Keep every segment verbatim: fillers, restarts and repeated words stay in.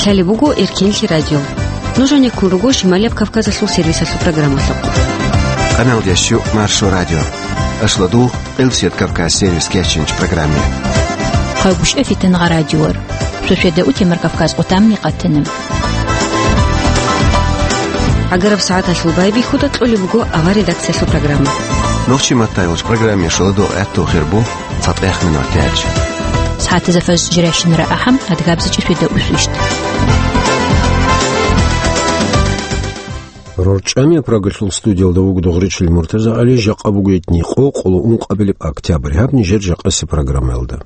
Гьале буго Эркенлъи радио. Нуж гӀенеккун руго Шималияб Кавказалъул сервисалъул программалъухъ. Къаналдеш щу Маршо радио. Ашлодул Къилсият Кавказ сервис кечинч программе. Хъайгушев Фитангъа радиор. Суседа утемар Кавказ къутамни къатана. Агараб сагӀаталъул байбихьуда кьолеб буго авар редакциялъул программа. Нохчи маттайолч программе шоладо гӀатту хирбу. ЦатӀехъ минутач. СагӀатазда фажр жирайщинара ахӀам, адгабзичӀи светда усвищт. РорчӀами Прагалъул студиялда вуго Дугъричил МуртазагӀали, жакъа буго итни къо, къоло ункъабилеб октябрь. Гьаб нижер жакъаси программаялда.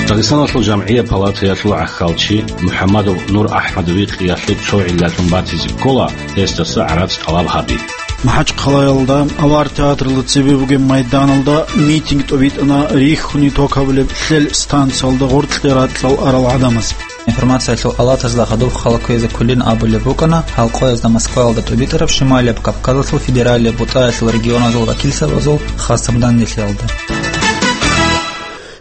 Дагъистаналъул жамгӀияб палатаялъул гӀахьалчи МухӀаммадов Нур АхӀмадовихъ яхӀи цо гӀиллалъун батизе ккола, гьесдаса гӀарац тӀалаб гьаби. МахӀачхъалаялда Авар театралда цебе бугеб майданалда митинг тӀобитӀана, рихьуни ток гьабулеб лъел станциялда гъоркье ракьал арал гӀадамаз. Информациялъул алатазда хадуб хъала кквезе кколин абулеб букӀана гьал къоязда Москваялда тӀубитӀараб Шималияб Кавказалъул федералияб бутӀаялъул регионазул вакилзабазул хасаб данделъиялда.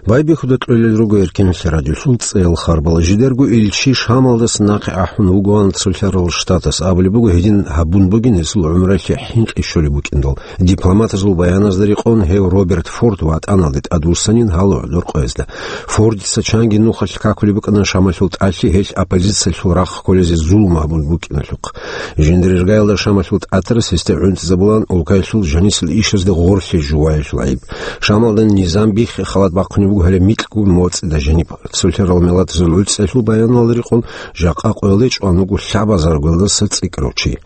Байбихьуда кьолел руго Эркенлъи радиолъул цӀеял харбал. Жидерго илчи Шамалдаса нахъе ахӀун вугоан Цолъарал Штатас. Абулеб буго, гьедин гьабун бугин гьесул гӀумралъе хӀинкъи щолеб букӀиндал. Дипломатазул баяназда рекъон гьев Роберт Форд ватӀаналде тӀадвуссанин гьалугӀ доркъоязда. Фордица чанги нухалъ какулеб букӀана Шамалъул тӀалъи гьелъ оппозициялъул рахъ кколезе зулум гьабун букӀиналъухъ. Жиндирергаялда Шамалъул тӀатарас гьесде гӀунтӀизабулан улкаялъул жанисел ишазде гъорлъе жуваялъул гӀайиб. Шамалда низам биххи халат бахъунеб буго гьале микьгун моцӀида жаниб. Цолъарал миллатазул гӀуцӀиялъул баяналда рекъон, жакъа къоялде чӀван вуго лъабазарго гьелдаса цӀикӀкӀарав чи.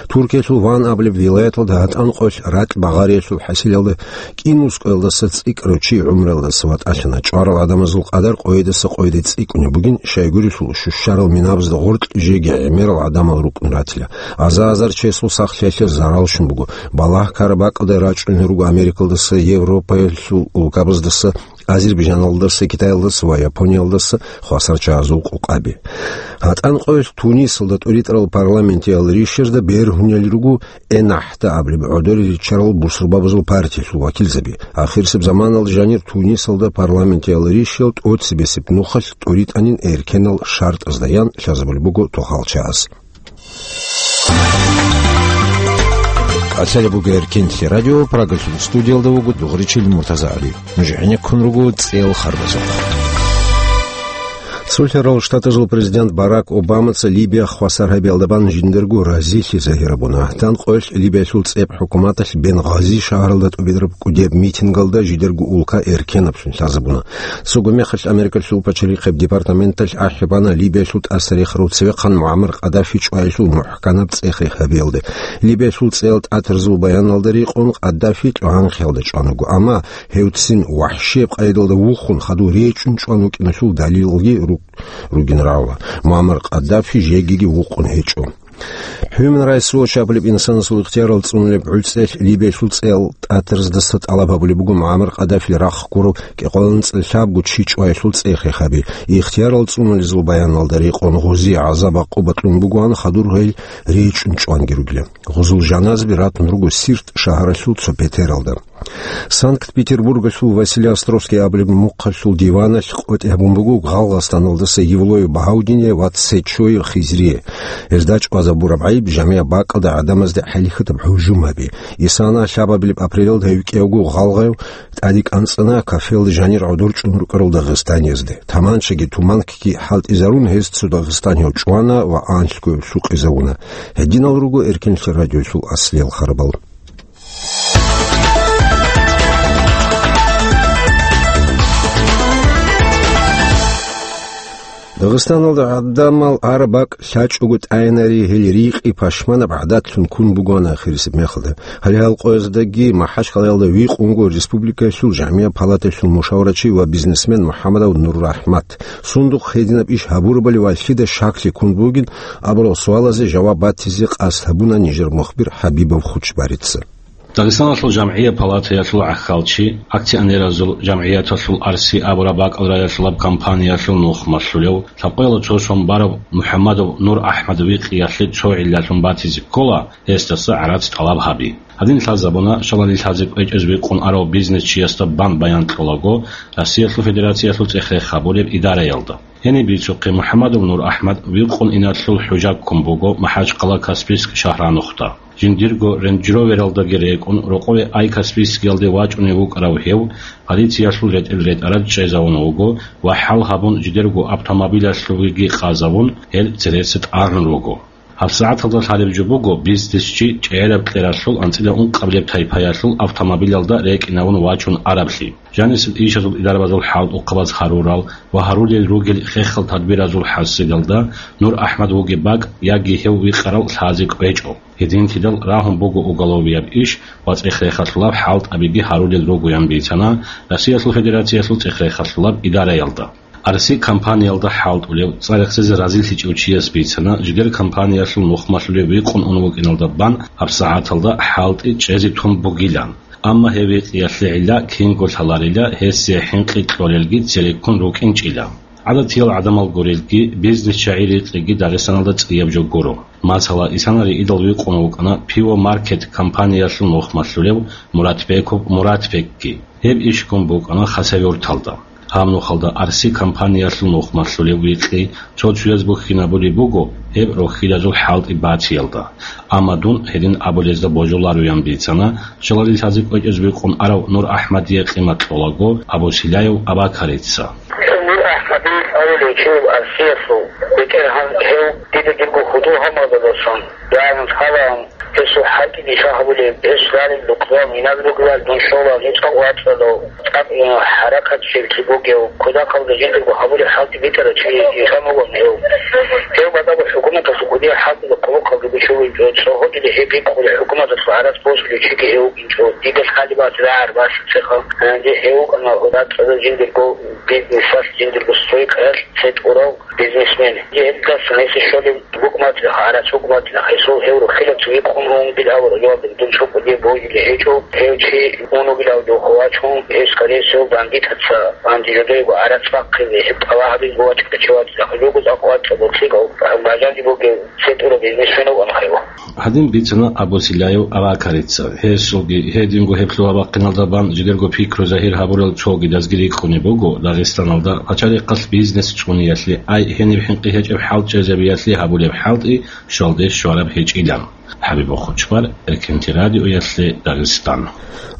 Туркиялъул Ван абулеб вилаяталда гьатӀан къоялъ ракь багъариялъул хӀасилалда кӀин ускъоялдаса цӀикӀкӀарав чи гӀумруялдаса ватӀалъана. ЧӀварал гӀадамазул къадар къойидаса къойиде цӀикӀкӀунеб бугин, щайгурелъул щущарал минабазда гъоркь жеги гӀемерал гӀадамал рукӀун ратила. Аза-азар чиясул сахлъиялъе зарал щун буго. Балагь-ккараб бакӀалда рачӀунел руго Америкалдаса, Европаялъул улкабаздаса, Азербайджаналдаса, Китаялдаса ва Япониялдаса хвасарчагӀазул къокъаби. ГьатӀан къоялъ Тунисалда тӀуритӀарал парламентиял ришазда бергьунел руго ЭннахӀда абулеб гӀодоре риччарал бусурбабазул партиялъул вакилзаби. Ахирисеб заманалда жанир Тунисалда парламентиял ришиял тӀоцебесеб нухалъ тӀуритӀанин эркенал шартӀазда ян лъазабулеб буго тохалчагӀаз. КӀалъалеб буго Эркенлъи радио, Прагалъул студиялда вуго Дугъричил МуртазагӀали. Нуж гӀенеккун руго цӀеял харбазухъ. Цолъарал Штатазул президент Барак Обамаца Либия хвасар гьабиялда бан жиндирго разилъи загьир гьабуна. ГьатӀан къоялъ Либиялъул цӀеб хӀукуматалъ Бенгъази шагьаралда тӀубитӀараб кӀудияб митингалда жидерго улка эркенаблъун лъазабуна. Цого мехалъ Америкалъул пачалихъеб департаменталъ ахӀи бана Либиялъул тӀасарихарав цевехъан МугӀаммар Къаддафи чӀваялъул мухӀканаб цӀехи гьабиялде. Либиялъул цӀеял тӀатарзул баяналда рекъон, Къаддафи тӀугьанхъиялда чӀван вуго, амма гьев цин вахӀшияб къайдалда вухун, хадув речӀчӀун чӀван вукӀиналъул далилалги ру-, ругин рагӀула. МугӀаммар Къаддафи жегиги вукъун гьечӀо. Human Rights Watch абулеб инсанасул ихтиярал цӀунулеб гӀуцӀелъ Либиялъул цӀеял тӀатарзадаса тӀалаб гьабулеб буго МугӀаммар Къаддафил рахъ гурав кӀикъоялда лъабго чи чӀваялъул цӀехи гьаби. Ихтиярал цӀунулезул баяналда рекъон гъози гӀазаб-гӀакъуба кьун бугоан, хадур гьел речӀчӀун чӀванги ругила. Гъозул жаназаби ратун руго Сирт шагьаралъул цо петералда. Санкт-Петербургалъул Василий Островский абулеб мухъалъул диваналъ къотӀи гьабун буго гъалгъастаналдаса Евлоев Багьавдине ва Цечоев Хизрие. Гьезда чӀвазабураб гӀайиб жамигӀ бакӀалда гӀадамазде хӀалихьатаб гьужум гьаби. Исана лъабабилеб апрелалда гьев кӀиявго гъалгъаяв тӀаде кӀанцӀана кафелда жанир гӀодор чӀун рукӀарал дагъистаниязде. Таманчаги туманкги хӀалтӀизарун, гьез цо дагъистанияв чӀвана ва анлъго гьев лъукъизавуна. Гьединал руго Эркенлъи радиоялъул аслиял харбал. Дагъистаналда гӀадамал гьар бакӀ лъачӀого тӀайнари, гьел рикъи пашманаб гӀадатлъун ккун бугоан ахирисеб мехалда. Гьале гьал къояздаги МахӀачхъалаялда вихъунго республикаялъул жамигӀ палатаялъул мушаврачи ва бизнесмен МухӀаммадов НуррахӀмат. Сундухъ гьединаб иш гьабурабали ва лъида щаклъи ккун бугин абурал суалазе жаваб батизе къасд гьабуна нижер мухбир Хабибов Хучбарица. Дагъистаналъул жамгӀия палатаялъул гӀахьалчи, акционеразул жамгӀияталъул «Арси» абураб бакӀал раялъулаб компаниялъул нухмалъулев, лъабкъоялда цо сон бараб МухӀаммадов Нур АхӀмад викъиялъе цо гӀиллалъун батизе ккола, гьесдаса гӀарац тӀалаб гьаби. Гьадин лъазабуна, щалалил лъазе кӀвечӀезе викъун арав бизнесчиясда бан баян кьолаго, Россиялъул Федерациялъул цӀех-рех гьабулеб идараялда. Гьениб бицухъе, МухӀаммадов Нур АхӀмад викъун иналъул хӀужа ккун буго МахӀачхъала Каспийск шагьранухда. Жиндирго Рейндж Ровералдаги рекӀун, рокъове Ай Каспийскиялде вачӀунев вукӀарав гьев, полициялъул ретӀел ретӀарад чӀезавун вуго ва хӀал гьабун, жидерго автомобилялъувеги къазавун, гьел цереса тӀагӀун руго. ГьабсагӀаталда лъалеб жо буго бизнесчи чӀегӀераб кьералъул анцӀила ункъабилеб тайпаялъул автомобилялда рекӀинавун вачун араблъи. Жанисел ишазул идарабазул хӀалтӀухъабаз гьарурал ва гьарулел ругел хехал тадбиразул хӀасилалда Нур АхӀмад вугеб бакӀ яги гьев викъарал лъазе кӀвечӀо. Гьединлъидал рагьун буго уголовияб иш ва цӀех-рехалъулаб хӀалтӀабиги гьарулел ругоян бицана Россиялъул Федерациялъул цӀех-рехалъулаб идараялда. «Арси» компаниялда хӀалтӀулев, цӀа рехсезе разилъичӀев чияс бицана, жидер компаниялъул нухмалъулев викъун ун вукӀиналда бан гьабсагӀаталда хӀалтӀи чӀезе тун бугилан. Амма гьев викъиялъе гӀилла кинго лъаларила, гьесие хӀинкъи кьолелги цереккун рукӀинчӀила. ГӀадатиял гӀадамал гурелги, бизнесчагӀи рикъиги Дагъистаналда цӀияб жо гуро. Масала, исана риидал викъун вукӀана «Пиво Маркет» компаниялъул нухмалъулев Муратбеков Муратбекги. Гьеб иш ккун букӀана Хасавюрталда. Гьаб нухалда «Арси» компаниялъул нухмалъулев викъи цо-цояз бухьинабулеб буго, гьеб рохьилазул хӀалтӀи батиялда. Амма дун гьедин абулезда божулароян бицана, щалалил лъазе кӀвечӀезе викъун арав Нур АхӀмадие къимат кьолаго Абу Силяев Абакарица. Нур АхӀмадил авулев чи вуго «Арсиялъул». БетӀергьан гьев дида дирго худул гьамадаласан, ягӀнус халаан, гьесул хӀалтӀи дица гьабулеб, гьес ралел рукъзал, минаб ругелал дун щолал, гьес цӀакъ вацӀцӀадав, цӀакъ хӀаракатчилъи бугев, кутакалда жиндирго гьабулеб хӀалтӀи битӀарав чи ишан вугоан гьев. Гьев батӀаго хӀукуматалъул кӀудияб хӀалтӀизда къулухъалда гучулев вугинчӀо, цо гьудулеб гьеб бикъулеб хӀукуматалъул гӀарац босулев чиги гьев вугинчӀо, дида лъалеб бацӀцӀад рагӀараб бацӀцӀад цехъан, гьанже гьев вукӀана гьудацӀазда жиндирго бизнесалъ, жиндирго стойкаялъ цӀе тӀурав бизнесмен. Гьеб гьебдасан гьесие щолеб букӀ-мацӀи, гӀарац букӀ-мацӀи, гьесул гьев рухӀила цоги къун рунгил аварагьалда дун цо кӀудияб божулеб гьечӀо, гьев чи унугилав духъ вачун, гьев, скорее всего, бандитаца, бандитаца гӀарац бахъизе, гьеб тӀалаб гьабизе вачӀа чи вацӀцӀа, гьелъул цӀакъ вацӀцӀадав лъикӀав бажари бугев цӀе тӀурав бизнесмен вукӀана гьев. Гьадин бицана Абу Силяев Абакарица. Гьесулги, гьединго гьеб лъугьа-бахъиналда бан жидерго пикру загьир гьабурал цогидазги рикӀкӀунеб буго Дагъистаналда пачалихъалъ бизнес цӀуниялъе, ай гьениб хӀинкъи гьечӀеб хӀал чӀезабиялъе гьабулеб хӀалтӀи щвалде щвараб гьечӀилан. ХӀабиб Хучбар, Эркенти радиоялъе Дагъистан.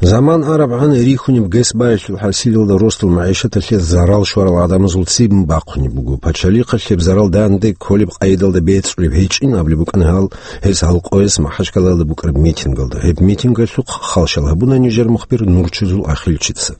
Заман арабгӀан рихьунеб гес баялъул хӀасилалда росдал магӀишаталъе зарал щварал гӀадамазул цебе бахъунеб буго. Пачалихъалъ гьеб зарал данде кколеб къайдалда бецӀулеб гьечӀин абулеб букӀана гьал, гьес гьалкъоялъ МахӀачкъалаялда букӀараб митингалда. Гьеб митингалъухъ хал щал гьабуна нижер мухбир Нурчизул Ахилчица.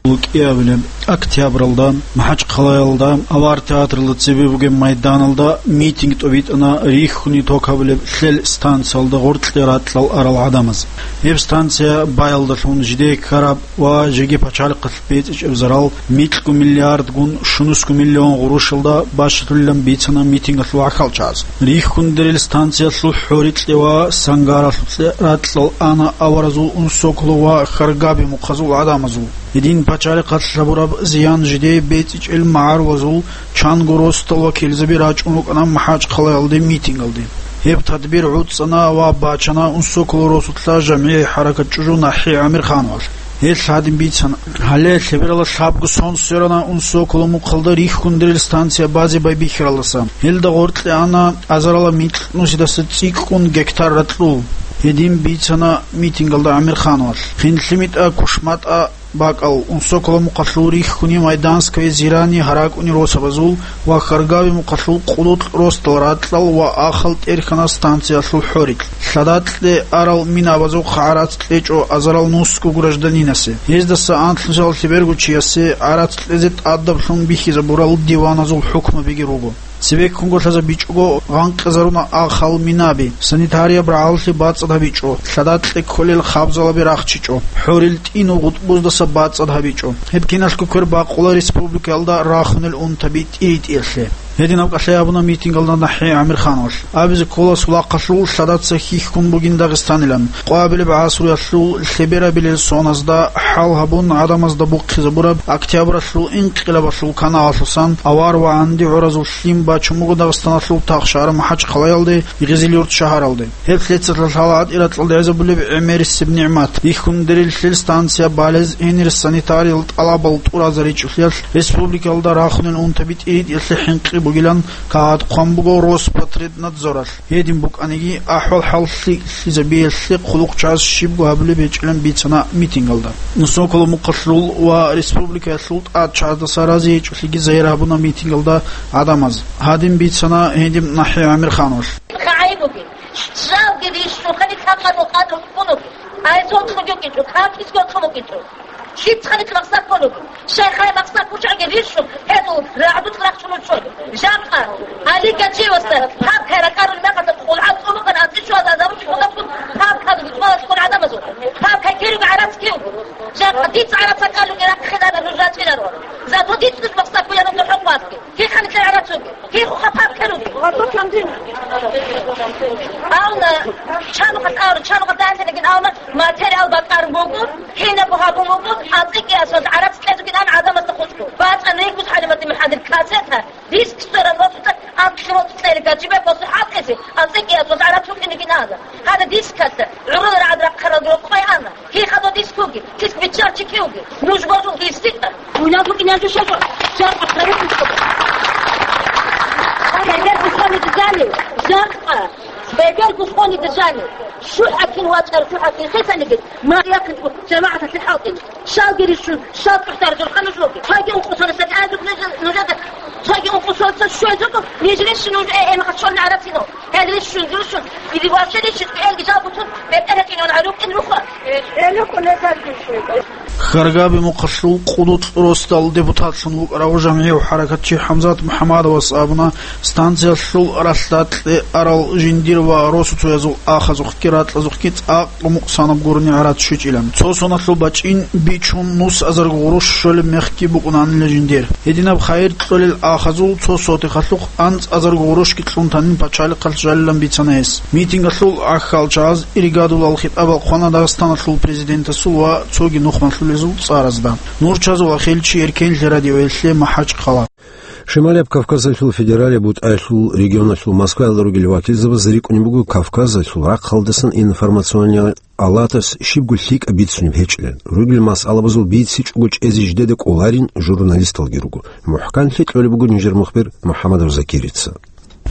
ЛукӀиябилеб октябралда МахӀачкъалаялда Авар театралда цебе бугеб майданалда митинг тӀобитӀана рихьуни ток гьабулеб лъел станциялда гъоркье ракьал арал гӀадамаз. Гьеб станция баялдалъун жидее ккараб ва жеги пачалихъалъ бецӀичӀеб зарал микьго миллиардгун щунусго миллион гъурущалда бащалъулилан бицана митингалъул гӀахьалчагӀаз. Рихьундерил станциялъул хӀорикье ва сангаралъукье ракьал ана аваразул Унсоколо ва Харгаби мухъазул гӀадамазул. Гьедин пачалихъалъ гьабураб зиян жидее бецӀичӀел магӀарулазул чанго росдал вакилзаби рачӀун рукӀана МахӀачкъалаялде митингалде. Гьеб тадбир гӀуцӀана ва бачана Унсоколо росулъа жамгӀияй хӀаракат чӀужу НахӀи ГӀамирхановалъ. Гьелъ гьадин бицана: гьале лъебералда лъабго сон сверана Унсоколо мухъалда рихьундерил станция базе байбихьаралдаса. Гьелда гъоркье ана азарила микь нусидаса цӀикӀкӀун гектар ракьул. Гьедин бицана митингалда ГӀамирхановалъ. ХинлъимитӀа-кушматӀа бакӀал Унсоколо мухъалъул рихьуни Майданское, Зирани, ГьаракӀуни росабазул ва Харгаби мухъалъул къулукъ росдал ракьал ва ахал тӀерхьана станциялъул хӀорикь. Лъадакье арал минабазухъ гӀарац кьечӀо азарал нусго гражданинасе. Гьездаса анлънусиялда лъеберго чиясе гӀарац кьезе тӀадаблъун бихьизабурал диваназул хӀукмабиги руго. Цебеккунго лъазабичӀого гъанкъизаруна ахал минаби, санитарияб рагӀаллъи бацӀцӀад гьабичӀо, лъадакье кколел хабзалаби рахчичӀо, хӀорил тӀинул гъутӀбуздаса бацӀцӀад гьабичӀо. Гьеб киналъго квер бакъула республикаялда рахунел унтаби тӀиритӀиялъе. Гьединаб кӀалъай абуна митингалда НахӀи ГӀамирхановалъ. Абизе ккола, сулахъалъул лъадаца хьихьун бугин Дагъистанилан. Къвабилеб гӀасруялъул лъеберабилел соназда хӀал гьабун, гӀадамазда бухъизабураб Октябралъул инкъилабалъул каналалъусан авар ва гӀанди гӀуразул лъим бачун буго Дагъистаналъул тахшагьар МахӀачхъалаялде, Гъизилюрт шагьаралде. Гьеб лъецалъа лъала гьатӀира кьалдегӀизабулеб гӀемерисеб нигӀмат. Бихьундерил лъел станция балез гьенир санитариял тӀалабал тӀуразаричӀулъиялъ, республикалда рахунел унтаби тӀиритӀиялъе хӀинкъи бугилан кагъат хъван буго Роспотребнадзоралъ. Гьедин букӀаниги, ахӀвал-хӀал лъикӀлъизабиялъе хъулухъ чӀваз щибго гьабулеб гьечӀилан бицана митингалда. Нусоколо мухъалъул ва республикаялъул тӀад чагӀаздаса рази гьечӀолъиги загьир гьабуна митингалда гӀадамаз. Гьадин бицана гьедин НахӀи ГӀамирхановалъ. Хъайбуги, жалги рищун, хани какъа нухъа духъунуги. Ай, цо кьуги кьучӀо, какис кьо кьуги кьучӀо. Щиб цхъани махсаккунуги. Шайхай махсак кучӀаги рищун, гьезул рагӀдул рахчун учӀоги. Жакъа, Али Гачиевасда, папкай ракӀарун мехалда хъулгӀа цӀумукъан ацӀичӀвазда азаручӀ худаккун папкаду гьитӀмалалъ ккун гӀадамазул. Папкай кируги гӀарац кивги. Жакъа, дица гӀарац акӀалуги рахъинана нуж рачӀинаро. Зато дица нуж махсаккуян нуж хӀукъугӀатги. Кихъан ккарарацуги, кихъухъа папкаруги. Гъату кандин. Авна, чанухъа кьару, чанухъа дандинагин авна, материал бакъарун буго, кинабго гьабун буго, ацӀикӀиасваз гӀарац кьезугин ан гӀадамазда хутӀго. БацӀан ригус хӀалиматимир хӀадир кассета, диск соран вацӀцӀа, анкьи вацӀцӀери гачибе после хӀалкъизе, ацӀикӀиасваз гӀарац вукӀинигин ана. Гьада дискалъа, гӀурул рагӀад рахъаралги рокъой ана. Кихъа додис куги, кис биччарчи киуги, нуж божун гьистикъа. Уйнал букӀине жо шагьо, жакъа тарихлъи ккола. Эгер бусани дизани, жакъа, эгер бусани дизани, шухӀакин вачӀар шухӀакин хисаниги, ма якин жамагӀаталъе хӀалтӀин. Шалги рищун, шал кьухӀдар журхъа нуж вуги. Цоги ункъусаласа тӀадуб нуж-, нужеда, цоги ункъусаласа щвезуго, ниж рищун нуж э-, эмгъачӀолни гӀарацин. Гьел рищун-рущун, или вообще рищун, элги жал бутун, бетӀер гьечӀин гьарукъин рухъа. Хьаргаби мухъалъул къудукь росдал депутатлъун вукӀарав жамгӀияв хӀаракатчи ХӀамзат МухӀамадовас абуна, станциялъул ралъдакье арал жиндир ва росуцоязул ахазухъги ракьазухъги цӀакъ къумукъсанаб гурони гӀарац щвечӀилан. Цо соналъул бачӀин бичун нус азарго гъурущ щолеб мехги букӀунанила жиндир. Гьединаб хайир кьолел ахазул цо сотихалъухъ анцӀ азарго гъурущги кьун танин пачалихъалъ жалилан бицана гьес. Митингалъул гӀахьалчагӀаз иригадулал хитӀабал хъвана Дагъистаналъул президентасул ва цоги нухмалъулезул цӀаразда. Нурчазул ахилчи, Эркенлъи радиоялъе, МахӀачхъала. Шималияб Кавказалъул федералияб бутӀаялъул регионалъул Москваялда ругел вакилзабаз рикӀкӀунеб буго Кавказалъул рахъалдасан информационный алатас щибго лъикӀаб бицунеб гьечӀилан. Ругел масъалабазул бицичӀого чӀезе жидеда кӀоларин журналисталги руго. МухӀканлъи кьолеб буго нижер мухбир МухӀаммадов Закирица.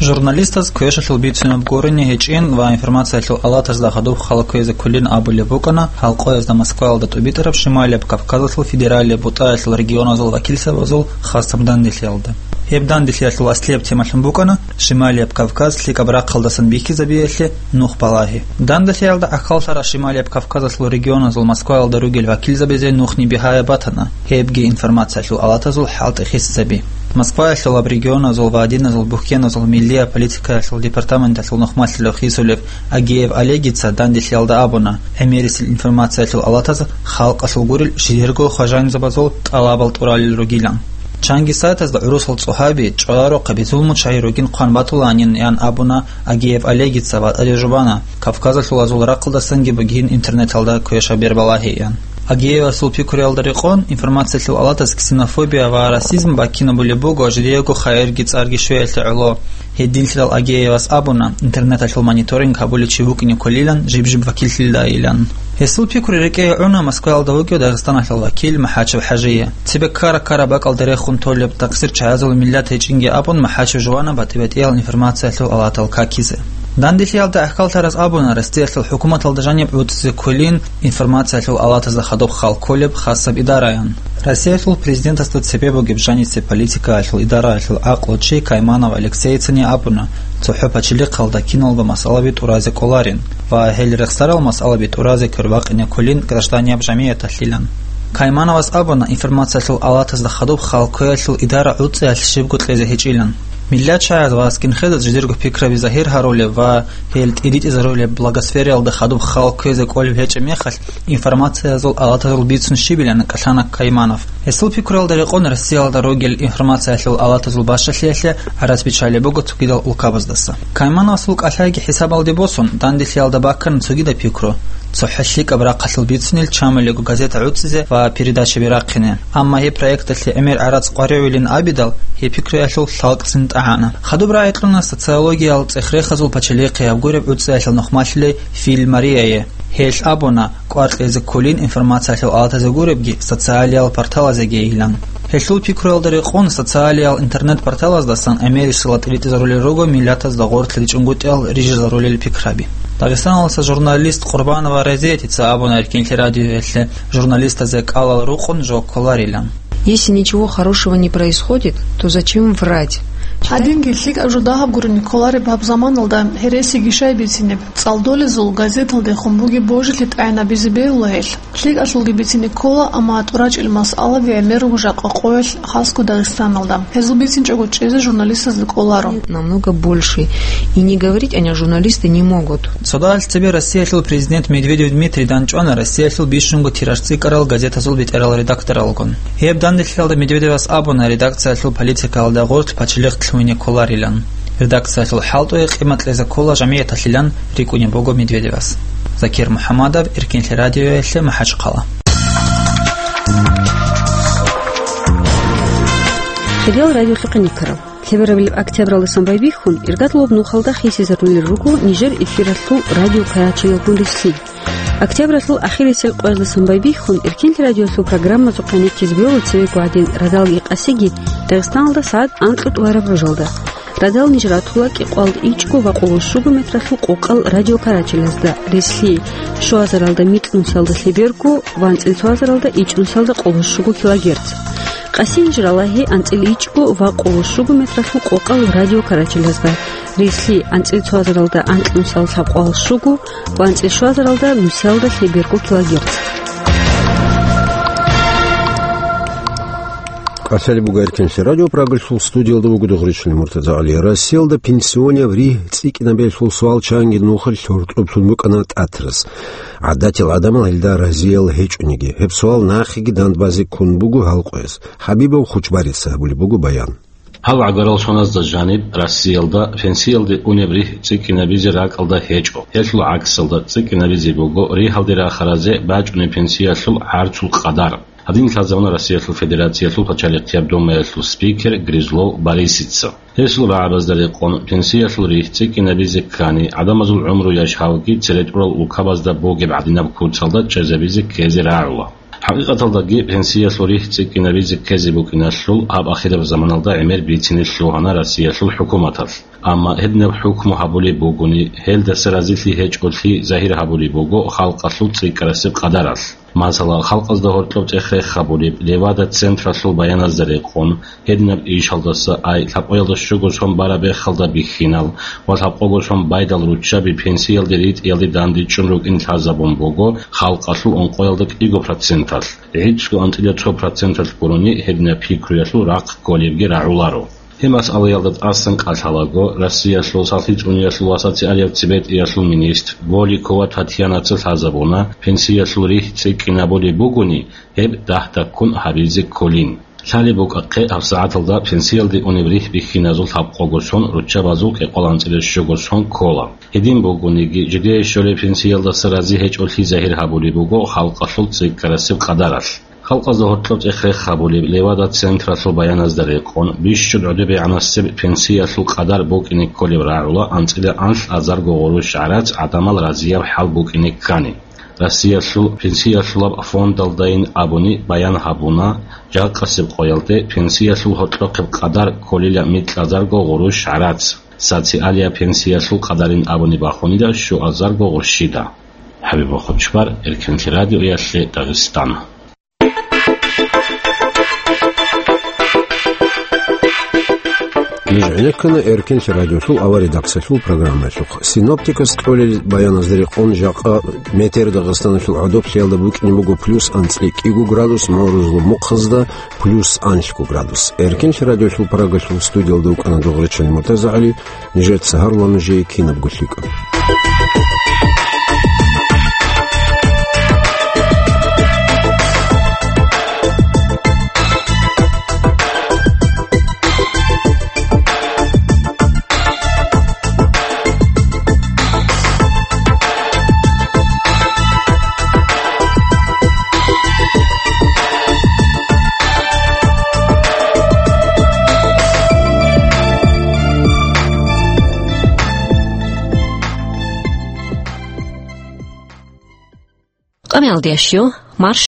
Журналистаз квешалъул бицунеб гурони гьечӀин ва информациялъул алатазда гьадуб хал кквезе кколин абулеб букӀана халкъоязда Москваялда тӀубитӀараб Шималияб Кавказалъул федералияб бутӀаялъул регионазул вакилзабазул хасаб данделъиялда. Гьеб данделъиялъул аслияб темалъун букӀана Шималияб Кавказ лъикӀаб рахъалдасан бихьизабиялъе нух балагьи. Данделъиялда гӀахьаллъараб Шималияб Кавказалъул регионазул Москваялда ругел вакилзабазе нухни бигьаяб батана, гьебги информациялъул алатазул хӀалтӀи хисизаби. Москваялъулаб регионазул ва диназул бухьеназул миллияб политикаялъул департаменталъул нухмалъилав хисулев Агеев Олегица данделъиялда абуна, гӀемерисел информациялъул алатаз халкъалъул гурел жидерго хважанизабазул тӀалабал тӀуралел ругилан. Чанги сайтазда гӀурусал цӀухӀаби, чӀваларухъаби, зулмучагьи ругин хъван батуланин, ян абуна Агеев Олегица ва тӀаде жубана, Кавказалъул азул рахъалдасанги бугин интернеталда квешаб бер балагьеян. Агеевасул пикруялда рекъон, информациялъул алатаз ксенофобия ва расизм баккинабулеб буго, жидеего хайирги цӀарги щвеялъе гӀоло. Гьединлъидал Агеевас абуна, интернеталъул мониторинг гьабулев чи вукӀине кколилан жиб-жиб вакиллъилайилан. Гьесул пикру рекӀее гӀуна Москваялда вугев Дагъистаналъул вакил МахӀачев ХӀажие. Цебе ккара-ккара бакӀалда рехун толеб такъсир чагӀазул миллат гьечӀинги абун, МахӀачев жувана батӀи-батӀиял информациялъул алатал какизе. Данделъиялда гӀахьаллъараз абуна, Россиялъул хӀукуматалда жаниб гӀуцӀизе кколин информациялъул алатазда хадуб хал кколеб хасаб идараян. Россиялъул президентасда цебе бугеб жанисе политикаялъул идараялъул гӀакълучи Кайманов Алексейицани абуна, цохӀо пачалихъалда киналго масъалаби тӀуразе кӀоларин ва гьел рехсарал масъалаби тӀуразе квер бакъине кколин гражданияб жамигӀяталъилан. Каймановас абуна, информациялъул алатазда хадуб хал кквеялъул идара гӀуцӀиялъ щибго кьезе гьечӀилан. МиллатчагӀаз ва скинхедаз жидерго пикраби загьир гьарулеб ва гьел тӀиритӀизарулеб блогосфераялда хадуб хал кквезе кӀолеб гьечӀеб мехалъ, информациязул алатазул бицун щибилан кӀалъана Кайманов. Гьесул пикруялда рекъон Россиялда ругел информациялъул алатазул бащалъиялъе гӀарац биччалеб буго цогидал улкабаздаса. Каймановасул кӀалъайги хӀисабалде босун, данделъиялда баккана цогидаб пикру: цохӀо лъикӀаб рахъалъул бицунел чамулего газета гӀуцӀизе ва передачаби рахъине. Амма гьеб проекталъе гӀемер гӀарац къваригӀулин абидал, гьеб пикруялъул лъалкӀцин тӀагӀана. Хадуб рагӀи кьуна социологиял цӀех-рехазул пачалихъе гьаб гуреб гӀуцӀиялъул нухмалъулей Филь Марияе. Гьелъ абуна, кӀвар кьезе кколин информациялъул алатазе гуребги, социалиял порталазеги йилан. Гьелъул пикруялда рекъон социалиял интернет-порталаздасан гӀемерисела тӀиритӀизарулел руго миллатазда гъорлъ ричӀунгутӀиялъ рижизарулел пикраби. Дагъистаналдаса журналист Къурбанова Разиятица абуна Эркинлъи радиоялъе, журналистазе кӀалал рукъун жо кколарилан. Если ничего хорошего не происходит, то зачем врать? Гьадинги лъикӀаб жо дагьаб гурони кколареб гьаб заманалда гьересиги щай бицинеб? ЦӀалдолезул газеталдехун бугеб божилъи тӀагӀинабизе бегьула гьелъ. ЛъикӀалъулги бицине ккола, амма тӀурачӀел масъалаби гӀемер руго жакъа къоялъ, хасго Дагъистаналда. Гьезул бицинчӀого чӀезе журналистазда кӀоларо. Намного больше. И не говорить они, журналисты, не могут. Цодагьалъ цебе Россиялъул президент Медведев Дмитрий данчӀвана Россиялъул бищунго тираж цӀикӀкӀарал газетазул бетӀерал редакторалгун. Гьеб данделъиялда Медведевас абуна редакциялъул политикаялда гъорлъ пачалихъ лъугьине кколарилан. Редакциялъул хӀалтӀуе къимат кьезе ккола жамигӀяталъилан рикӀкӀунеб буго Медведевас. Закир МухӀаммадов, Эркинлъи радиоялъе, МахӀачхъала. Хириял радиолъухъе никарал. Лъеберабилеб октябралдасан байбихьун, иргадлъулаб нухалда хисизарулел руго нижер эфиралъул радио карачелалгун рилълъи. Октябралъул ахирисел къоялдасан байбихьун, Эркинлъи радиолъул программазухъе никкизе бегьула цевего гӀадин радалги къасиги Дагъистаналда сагӀат анкьго тӀураб ружалда. Радал ниж ратула кӀикъоялда ичӀго ва къоло щуго метралъул къокъал радиокарачелазда, рилълъи щуазаралда микьнусиялда лъеберго ва анцӀила цоазаралда ичӀнусиялда къоло щуго килогерц. Къаси ниж ралагьи анцӀила ичӀго ва къоло щуго метралъул къокъал радиокарачелазда, рилълъи анцӀила цоазаралда анкьнусиялда лъабкъоялда щуго ва анцӀила щуазаралда нусиялда лъеберго килогерц. КӀалъалеб буго Эркинлъи радио, Прагалъул студиялда вуго Дугъричилин МуртазагӀали. Россиялда пенсионияб ригь цӀикӀкӀинабиялъул суал чанги нухалъ гьоркьоб лъун букӀана ТӀатарас. ГӀадатил гӀадамал гьелда разиял гьечӀониги, гьеб суал нахъеги дандбазе ккун буго гьал къояс. ХӀабибов Хучбарица гьабулеб буго баян. Гьал гӀагарал соназда жаниб Россиялда пенсиялде унеб ригь цӀикӀкӀинабизе ракӀалда гьечӀо. Гьелъул гӀаксалда цӀикӀкӀинабизе буго ригьалде рахаразе бачӀунеб пенсиялъул гӀарцул къадар. Гьадин лъазабуна Россиялъул Федерациялъул пачалихъияб Думаялъул спикер Грызлов Борисица. Гьесул рагӀабазда рекъон, пенсиялъул ригь цӀикӀкӀинабизе ккани, гӀадамазул гӀумру яшавги цере тӀурал улкабазда бугеб гӀадинаб куцалда чӀезабизе ккезе рагӀула. ХӀакъикъаталдаги, пенсиялъул ригь цӀикӀкӀинабизе ккезе букӀиналъул гьаб ахираб заманалда гӀемер бицине лъугьана Россиялъул хӀукуматалъ. Амма гьединаб хӀукму гьабулеб бугони, гьелдаса разилъи гьечӀолъи загьир гьабулеб буго халкъалъул цӀикӀкӀарасеб къадаралъ. Масала, халкъазда гьоркьоб цӀех-рех гьабулеб Левада-централъул баяназда рекъон, гьединаб ишалдаса ай лъабкъоялда щуго сон бараб бехалда бихьинал ва лъабкъого сон байдал руччаби пенсиялде ритӀиялде дандечӀун рукӀин лъазабун буго халкъалъул ункъоялда кӀиго проценталъ, гӀицӀго анцӀила цо проценталъ гурони гьединаб пикруялъул рахъ кколебги рагӀуларо. Гьеб масъалаялда тӀасан кӀалъалаго, Россиялъул сахлъи цӀуниялъул ва социалияб цебетӀиялъул министр Голикова Татьянаца лъазабуна, пенсиялъул ригь цӀикӀкӀинабулеб бугони, гьеб дагь-даккун гьабизе кколин. Лъалеб букӀахъе, гьабсагӀаталда пенсиялде унеб ригь бихьиназул лъабкъого сон руччабазул кӀикъоялда анцӀила щуго сон ккола. Гьедин бугониги, жидее щолеб пенсиялдаса рази гьечӀолъи загьир гьабулеб буго халкъалъул цӀикӀкӀарасеб къадаралъ. Халкъазда гьоркьоб цӀех-рех гьабулеб Левада-централъул баяназда рекъон, бищун гӀодобегӀанасеб пенсиялъул къадар букӀине кколеб рагӀула анцӀила анлъ азарго гъурущ гӀарац гӀадамал разияб хӀал букӀине ккани. Россиялъул пенсиялъулаб фондалдайин абуни баян гьабуна, жакъасеб къоялде пенсиялъул гьоркьохъеб къадар кколила микь азарго гъурущ гӀарац, социалияб пенсиялъул къадарин абуни бахунила щуазарго гъурщида. ХӀабиб Хучбар, Эркинлъи радиоялъе, Дагъистан. Жо гӀенеккана Эркенлъи радиолъул авария редакциялъул программаялъухъ. Синоптикас кьолел баяназда рекъон, жакъа метер Дагъистаналъул гӀодоблъиялда букӀине буго плюс анцӀила кӀиго градус, морузлъ мухъазда плюс анлъго градус. Эркенлъи радиолъул Прагалъул студиялда вукӀана Дугърачани МуртазагӀали. Нижеца гьарула нужее кинабго лъикӀаб. Къамиялдиящу, марш